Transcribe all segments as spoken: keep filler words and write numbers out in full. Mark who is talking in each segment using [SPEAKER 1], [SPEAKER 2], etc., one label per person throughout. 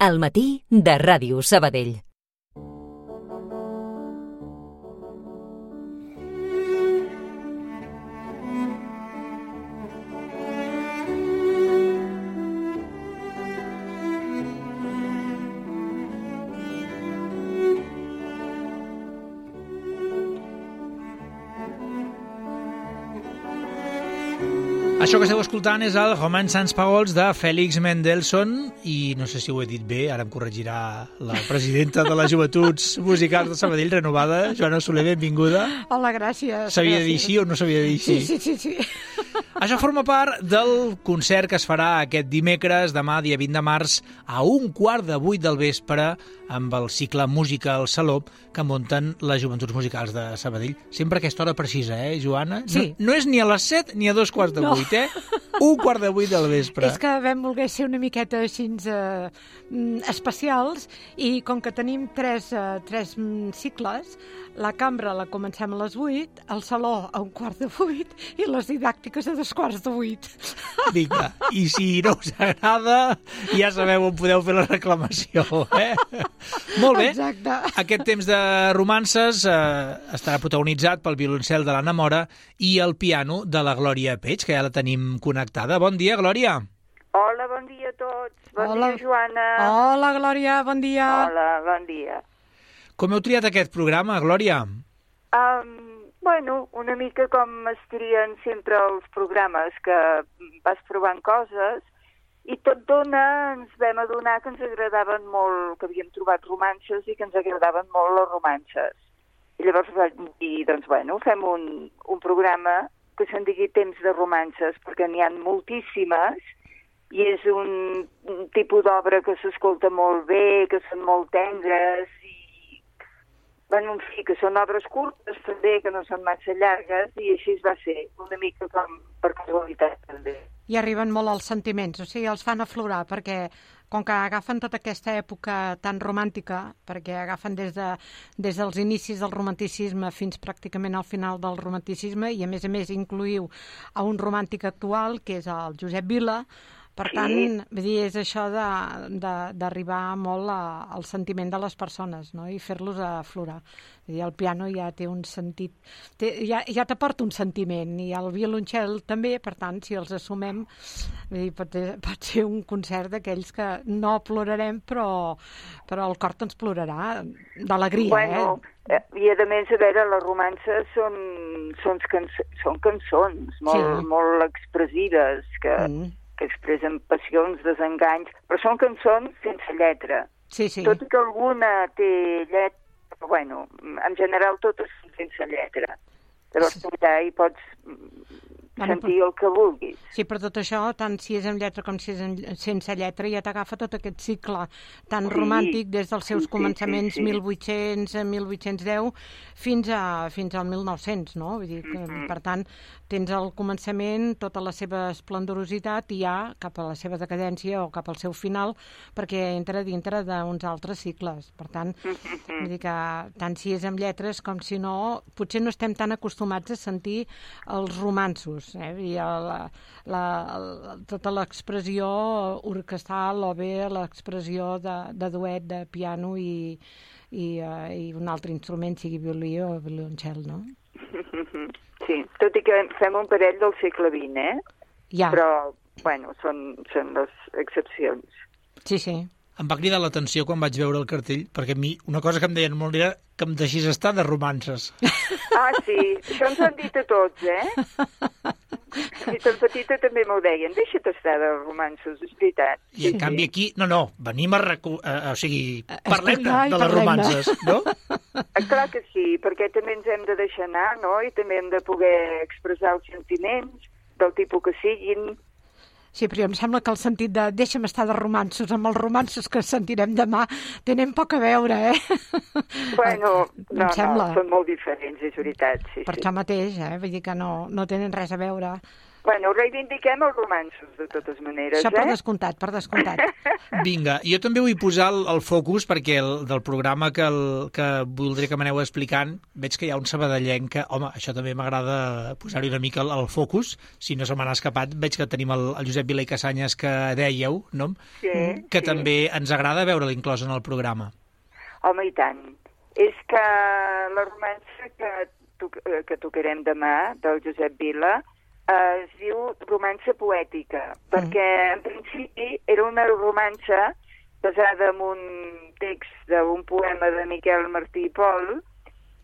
[SPEAKER 1] Al matí de Ràdio Sabadell.
[SPEAKER 2] Això que esteu escoltant és el Romans sans Paroles de Félix Mendelssohn i no sé si ho he dit bé, ara em corregirà la presidenta de les Joventuts Musicals de Sabadell renovada, Joana Soler, benvinguda.
[SPEAKER 3] Hola, gràcies.
[SPEAKER 2] S'havia de dir sí o no s'havia de dir sí?
[SPEAKER 3] Sí, sí, sí, sí.
[SPEAKER 2] Això forma part del concert que es farà aquest dimecres, demà, dia vint de març, a un quart de vuit del vespre, amb el cicle Música al Saló que munten les Joventuts Musicals de Sabadell. Sempre a aquesta hora precisa, eh, Joana?
[SPEAKER 3] Sí.
[SPEAKER 2] No, no és ni a les set ni a dos quarts de vuit, eh? Un quart de vuit del vespre.
[SPEAKER 3] És que vam voler ser una miqueta així eh, especials i com que tenim tres, eh, tres cicles, la cambra la comencem a les vuit, el saló a un quart de vuit i les didàctiques a dos quarts de vuit.
[SPEAKER 2] Vinga, i si no us agrada, ja sabeu on podeu fer la reclamació, eh? Molt bé.
[SPEAKER 3] Exacte.
[SPEAKER 2] Aquest temps de romances eh, estarà protagonitzat pel violoncel de l'Anna Mora i el piano de la Glòria Peix, que ja la tenim connectada. Bon dia, Glòria.
[SPEAKER 4] Hola, bon dia a tots. Bon
[SPEAKER 3] Hola.
[SPEAKER 4] dia, Joana.
[SPEAKER 3] Hola, Glòria, bon dia.
[SPEAKER 4] Hola, bon dia.
[SPEAKER 2] Com heu triat aquest programa, Glòria?
[SPEAKER 4] Um, bueno, una mica com es trien sempre els programes, que vas provant coses i tot dona, ens vam adonar que ens agradaven molt, que havíem trobat romances i que ens agradaven molt les romances. I llavors vam dir, doncs bueno, fem un, un programa que se'n digui Temps de romances, perquè n'hi ha moltíssimes i és un, un tipus d'obra que s'escolta molt bé, que són molt tendres i bueno, en fi, que són obres curtes també, que no són massa llargues i així es va ser, una mica com per casualitat també.
[SPEAKER 3] I arriben molt als sentiments, o sigui, els fan aflorar, perquè com que agafen tota aquesta època tan romàntica, perquè agafen des, de, des dels inicis del romanticisme fins pràcticament al final del romanticisme, i a més a més incluïu a un romàntic actual, que és el Josep Vila. Per tant, sí. Vull dir, és això d'arribar molt a, al sentiment de les persones, no? I fer-los aflorar. Vull dir, el piano ja té un sentit, té, ja, ja t'aporta un sentiment, i el violoncel també, per tant, si els assumem, vull dir, pot, pot ser un concert d'aquells que no plorarem, però, però el cor ens plorarà d'alegria,
[SPEAKER 4] bueno, eh? I a més, a veure, les romances són, són, cançons, són cançons molt, sí. molt expressives, que... Mm. que expressen passions, desenganys, però són cançons sense lletra.
[SPEAKER 3] Sí, sí.
[SPEAKER 4] Tot i que alguna té lletra, però bueno, en general totes són sense lletra. Llavors tu allà hi pots sentir el que vulguis.
[SPEAKER 3] Sí, però tot això, tant si és amb lletra com si és en, sense lletra, ja t'agafa tot aquest cicle tan sí, romàntic des dels seus sí, començaments sí, sí, sí. mil vuit-cents a mil vuit-cents deu fins, a, fins al mil nou-cents, no? Vull dir que, mm-hmm. per tant, tens al començament tota la seva esplendorositat i ja cap a la seva decadència o cap al seu final, perquè entra dintre d'uns altres cicles. Per tant, mm-hmm. vull dir que tant si és amb lletres com si no, potser no estem tan acostumats a sentir els romanços. Eh? I la, la, la, tota l'expressió orquestral o bé l'expressió de, de duet, de piano i, i, uh, i un altre instrument, sigui violí o violoncel, no?
[SPEAKER 4] Sí, tot i que fem un parell del segle vint, eh?
[SPEAKER 3] Ja.
[SPEAKER 4] Però, bueno, són, són les excepcions.
[SPEAKER 3] Sí, sí.
[SPEAKER 2] Em va cridar l'atenció quan vaig veure el cartell, perquè a mi una cosa que em deien molt era que em deixis estar de romances.
[SPEAKER 4] Ah, sí, això ens han dit a tots, eh? I tan petita també m'ho deien, deixa't estar de romances, és veritat.
[SPEAKER 2] I en canvi aquí, no, no, venim a... Recu... Uh, o sigui, parlem de, de les romances, no?
[SPEAKER 4] Clar que sí, perquè també ens hem de deixar anar, no? I també hem de poder expressar els sentiments del tipus que siguin.
[SPEAKER 3] Sí, però em sembla que el sentit de deixa'm estar de romanços amb els romanços que sentirem demà tenen poc a veure, eh?
[SPEAKER 4] Bueno,
[SPEAKER 3] em
[SPEAKER 4] no,
[SPEAKER 3] sembla.
[SPEAKER 4] no, són molt diferents, és veritat. Sí,
[SPEAKER 3] per
[SPEAKER 4] sí.
[SPEAKER 3] això mateix, eh? Vull dir que no, no tenen res a veure.
[SPEAKER 4] Bueno, reivindiquem els romanços, de totes maneres,
[SPEAKER 3] Això per
[SPEAKER 4] eh?
[SPEAKER 3] descomptat, per descomptat.
[SPEAKER 2] Vinga, jo també vull posar el, el focus, perquè el, del programa que, el, que voldria que m'aneu explicant, veig que hi ha un sabadellenc que, home, això també m'agrada posar-hi una mica el, el focus, si no se m'ha escapat, veig que tenim el, el Josep Vila i Casanyes que dèieu, no?
[SPEAKER 4] Sí,
[SPEAKER 2] que
[SPEAKER 4] sí.
[SPEAKER 2] també ens agrada veure-lo inclòs en el programa.
[SPEAKER 4] Home, i tant. És que la romança que, to que tocarem demà, del Josep Vila, es diu romança poètica, mm. perquè en principi era una romança basada en un text d'un poema de Miquel Martí i Pol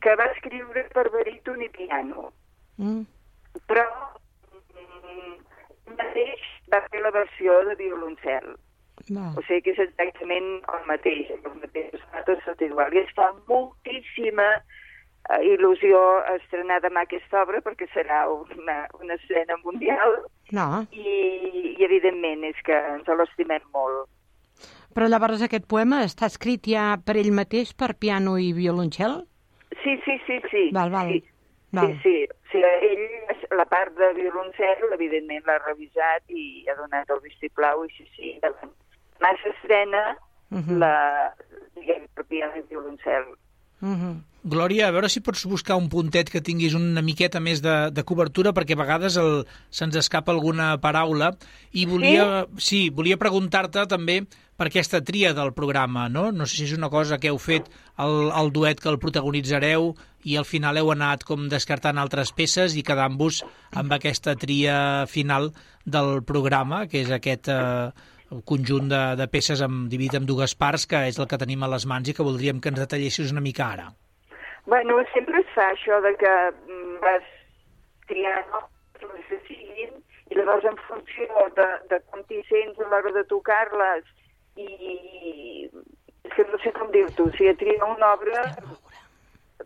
[SPEAKER 4] que va escriure per baríton i piano. Mm. Però mm, mateix va fer la versió de violoncel. No. O sigui que és exactament el mateix, el mateix, tot igual. I està moltíssima Uh, il·lusió estrenar demà aquesta obra perquè serà una, una escena mundial
[SPEAKER 3] no.
[SPEAKER 4] i, i evidentment és que ens l'estimem molt.
[SPEAKER 3] Però llavors aquest poema està escrit ja per ell mateix, per piano i violoncel?
[SPEAKER 4] Sí, sí, sí, sí.
[SPEAKER 3] Val, val.
[SPEAKER 4] Sí,
[SPEAKER 3] val.
[SPEAKER 4] sí, sí. O sigui, ell, la part de violoncel, evidentment l'ha revisat i ha donat el vistiplau i sí, sí, demà s'estrena uh -huh. la, diguem, per piano i violoncel.
[SPEAKER 3] Uh -huh.
[SPEAKER 2] Glòria, a veure si pots buscar un puntet que tinguis una miqueta més de, de cobertura, perquè a vegades el, se'ns escapa alguna paraula, i volia, sí? Sí, volia preguntar-te també per aquesta tria del programa, no? No sé si és una cosa que heu fet el, el duet que el protagonitzareu i al final heu anat com descartant altres peces i quedant-vos amb aquesta tria final del programa, que és aquest eh, conjunt de, de peces amb, dividit en dues parts, que és el que tenim a les mans i que voldríem que ens detallessis una mica ara.
[SPEAKER 4] Bueno, sempre es fa això de que vas triant les que siguin i llavors en funció de, de com t'hi sents a l'hora de tocar-les i és que no sé com dir-t'ho, si a triar una obra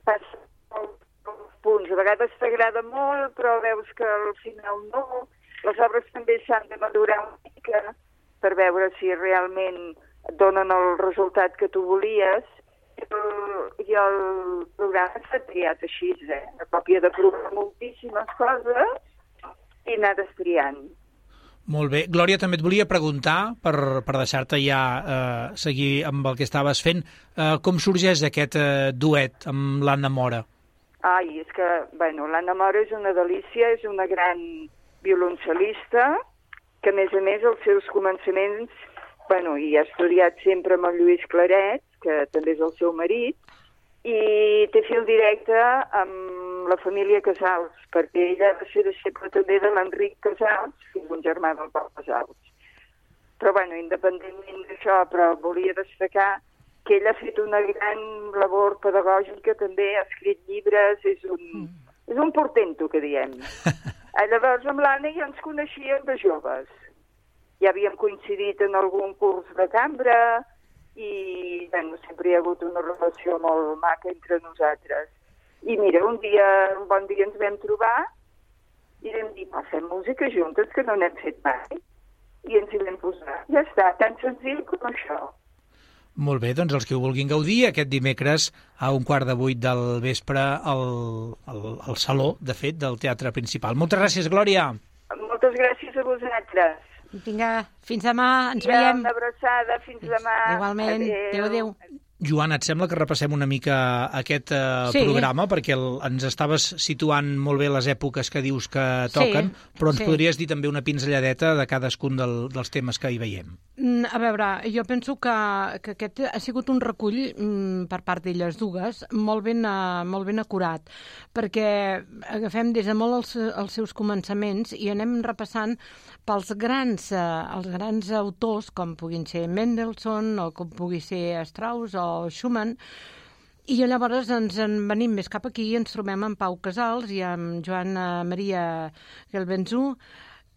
[SPEAKER 4] passa molts punts, a vegades t'agrada molt però veus que al final no, les obres també s'han de madurar una mica per veure si realment donen el resultat que tu volies. I el programa s'ha triat així, eh? A còpia de provar moltíssimes coses i anar destriant.
[SPEAKER 2] Molt bé. Glòria, també et volia preguntar, per, per deixar-te ja eh, seguir amb el que estaves fent, eh, com sorgeix aquest eh, duet amb l'Anna Mora?
[SPEAKER 4] Ai, és que, bueno, l'Anna Mora és una delícia, és una gran violoncel·lista, que a més a més els seus començaments, bueno, i ha estudiat sempre amb el Lluís Claret, que també és el seu marit, i té fil directe amb la família Casals, perquè ella va ser deixeble també de l'Enric Casals, que és un germà del Pau Casals. Però, bueno, independentment d'això, però volia destacar que ella ha fet una gran labor pedagògica, també ha escrit llibres, és un, mm. és un portento, que diem. Llavors, amb l'Anna ja ens coneixíem de joves. Ja havíem coincidit en algun curs de cambra, i bueno, sempre hi ha hagut una relació molt maca entre nosaltres. I mira, un dia, un bon dia ens vam trobar i vam dir, va, fem música juntes, que no n'hem fet mai. I ens hi vam posar. Ja està, tan senzill com això.
[SPEAKER 2] Molt bé, doncs els que ho vulguin gaudir, aquest dimecres a un quart de vuit del vespre al, al, al saló, de fet, del Teatre Principal. Moltes gràcies, Glòria.
[SPEAKER 4] Moltes gràcies a vosaltres.
[SPEAKER 3] Vinga, fins demà, ens
[SPEAKER 4] ja,
[SPEAKER 3] veiem.
[SPEAKER 4] Una abraçada, fins demà.
[SPEAKER 3] Igualment, adéu, adéu.
[SPEAKER 2] Joan, et sembla que repassem una mica aquest eh, sí. programa, perquè el, ens estaves situant molt bé les èpoques que dius que toquen, sí, però ens sí. podries dir també una pinzelladeta de cadascun del, dels temes que hi veiem.
[SPEAKER 3] A veure, jo penso que, que aquest ha sigut un recull mm, per part d'elles dues molt ben, uh, molt ben acurat, perquè agafem des de molt els, els seus començaments i anem repassant pels grans, uh, els grans autors, com puguin ser Mendelssohn o com pugui ser Strauss o Schumann, i llavors ens en venim més cap aquí i ens trobem amb Pau Casals i amb Joan Maria Gelbenzú,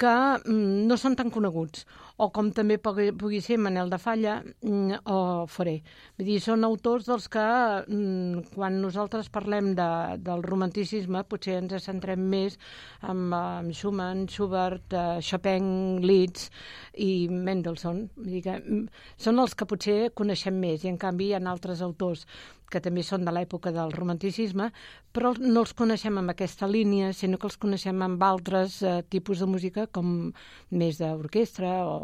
[SPEAKER 3] que mm, no són tan coneguts, o com també pugui, pugui ser Manel de Falla mm, o Fauré. Vull dir, són autors dels que mm, quan nosaltres parlem de, del romanticisme potser ens centrem més amb, amb Schumann, Schubert, uh, Chopin, Liszt i Mendelssohn. Vull dir que mm, són els que potser coneixem més i en canvi hi ha altres autors que també són de l'època del romanticisme, però no els coneixem amb aquesta línia, sinó que els coneixem amb altres eh, tipus de música, com més d'orquestra o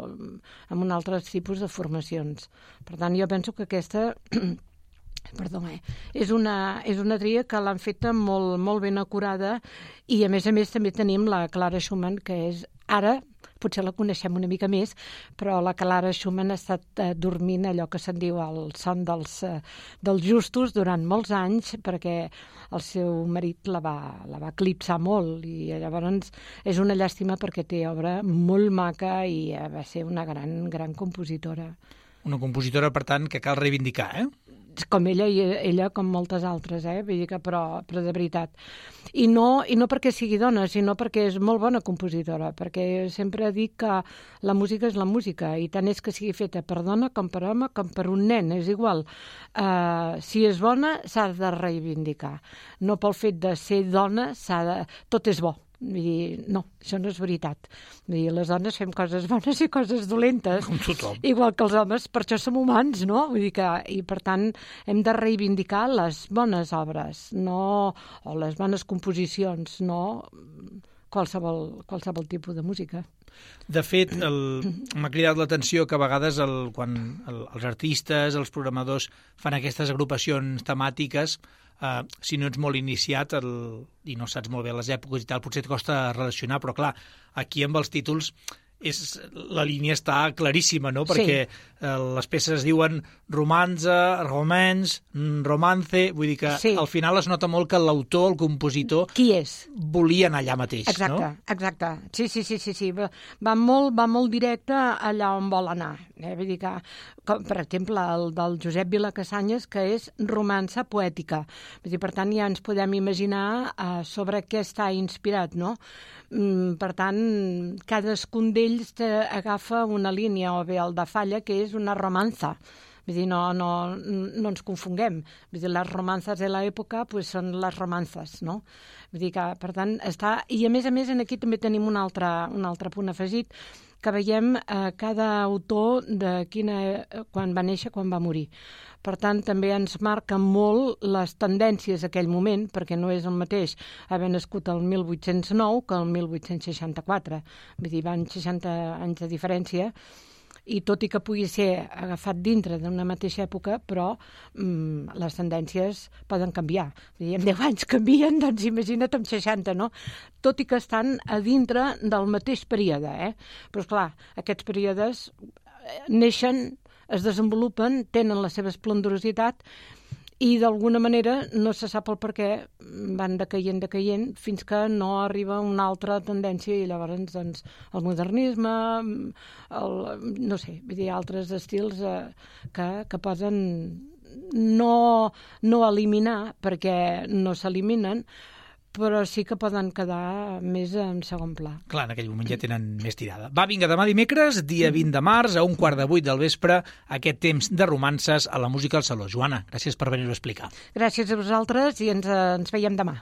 [SPEAKER 3] amb un altre tipus de formacions. Per tant, jo penso que aquesta... Perdó, eh? és, una, és una tria que l'han feta molt, molt ben acurada i, a més a més, també tenim la Clara Schumann, que és ara, potser la coneixem una mica més, però la Clara Schumann ha estat eh, dormint allò que se'n diu el son dels, eh, dels justos durant molts anys, perquè el seu marit la va, la va eclipsar molt i llavors és una llàstima perquè té obra molt maca i eh, va ser una gran, gran compositora.
[SPEAKER 2] Una compositora, per tant, que cal reivindicar, eh?
[SPEAKER 3] Com ella i ella com moltes altres, eh? Vull dir que però, però de veritat. I no, I no perquè sigui dona, sinó perquè és molt bona compositora, perquè sempre dic que la música és la música, i tant és que sigui feta per dona com per home com per un nen, és igual. Uh, si és bona, s'ha de reivindicar. No pel fet de ser dona, s'ha de... tot és bo. Vull dir, no, això no és veritat. Vull dir, les dones fem coses bones i coses dolentes.
[SPEAKER 2] Com tothom.
[SPEAKER 3] Igual que els homes, per això som humans, no? Vull dir que, i per tant, hem de reivindicar les bones obres, no, o les bones composicions, no qualsevol, qualsevol tipus de música.
[SPEAKER 2] De fet, m'ha cridat l'atenció que a vegades el, quan el, els artistes, els programadors fan aquestes agrupacions temàtiques, Uh, si no ets molt iniciat el, i no saps molt bé les èpoques i tal, potser et costa relacionar, però clar, aquí amb els títols és, la línia està claríssima, no? Perquè sí. uh, les peces es diuen romanza, romance, romance, vull dir que sí. Al final es nota molt que l'autor, el compositor...
[SPEAKER 3] Qui és?
[SPEAKER 2] Volia anar allà mateix,
[SPEAKER 3] exacte,
[SPEAKER 2] no?
[SPEAKER 3] Exacte, sí, sí, sí, sí, sí. Va, va, molt, va molt directe allà on vol anar. Eh? Vull dir que, com, per exemple, el del Josep Vilacassanyes, que és romança poètica. Vull dir, per tant, ja ens podem imaginar uh, sobre què està inspirat, no? Mm, per tant, cadascun d'ells agafa una línia, o bé el de Falla, que és una romanza. Vull dir, no, no, no ens confonguem. Vull dir, les romances de l'època pues, són les romances, no? Vull dir que, per tant, està... I a més a més, aquí també tenim un altre, un altre punt afegit, que veiem eh, cada autor de quina, quan va néixer, quan va morir. Per tant, també ens marca molt les tendències d'aquell moment, perquè no és el mateix haver nascut el mil vuit-cents nou que el mil vuit-cents seixanta-quatre. Vull dir, van seixanta anys de diferència, i tot i que pugui ser agafat dintre d'una mateixa època, però mm, les tendències poden canviar. Vull dir, en deu anys canvien, doncs imagina't amb seixanta, no? Tot i que estan a dintre del mateix període, eh? Però, esclar, aquests períodes neixen, es desenvolupen, tenen la seva esplendorositat, i d'alguna manera no se sap el per què van decaient, decaient, fins que no arriba una altra tendència i llavors doncs, el modernisme, el, no sé, vull dir, altres estils eh, que, que poden no, no eliminar, perquè no s'eliminen, però sí que poden quedar més en segon pla.
[SPEAKER 2] Clar, en aquell moment ja tenen més tirada. Va, vinga, demà dimecres, dia vint de març, a un quart de vuit del vespre, aquest temps de romances a la música al Saló. Joana, gràcies per venir-ho a explicar.
[SPEAKER 3] Gràcies a vosaltres i ens, ens veiem demà.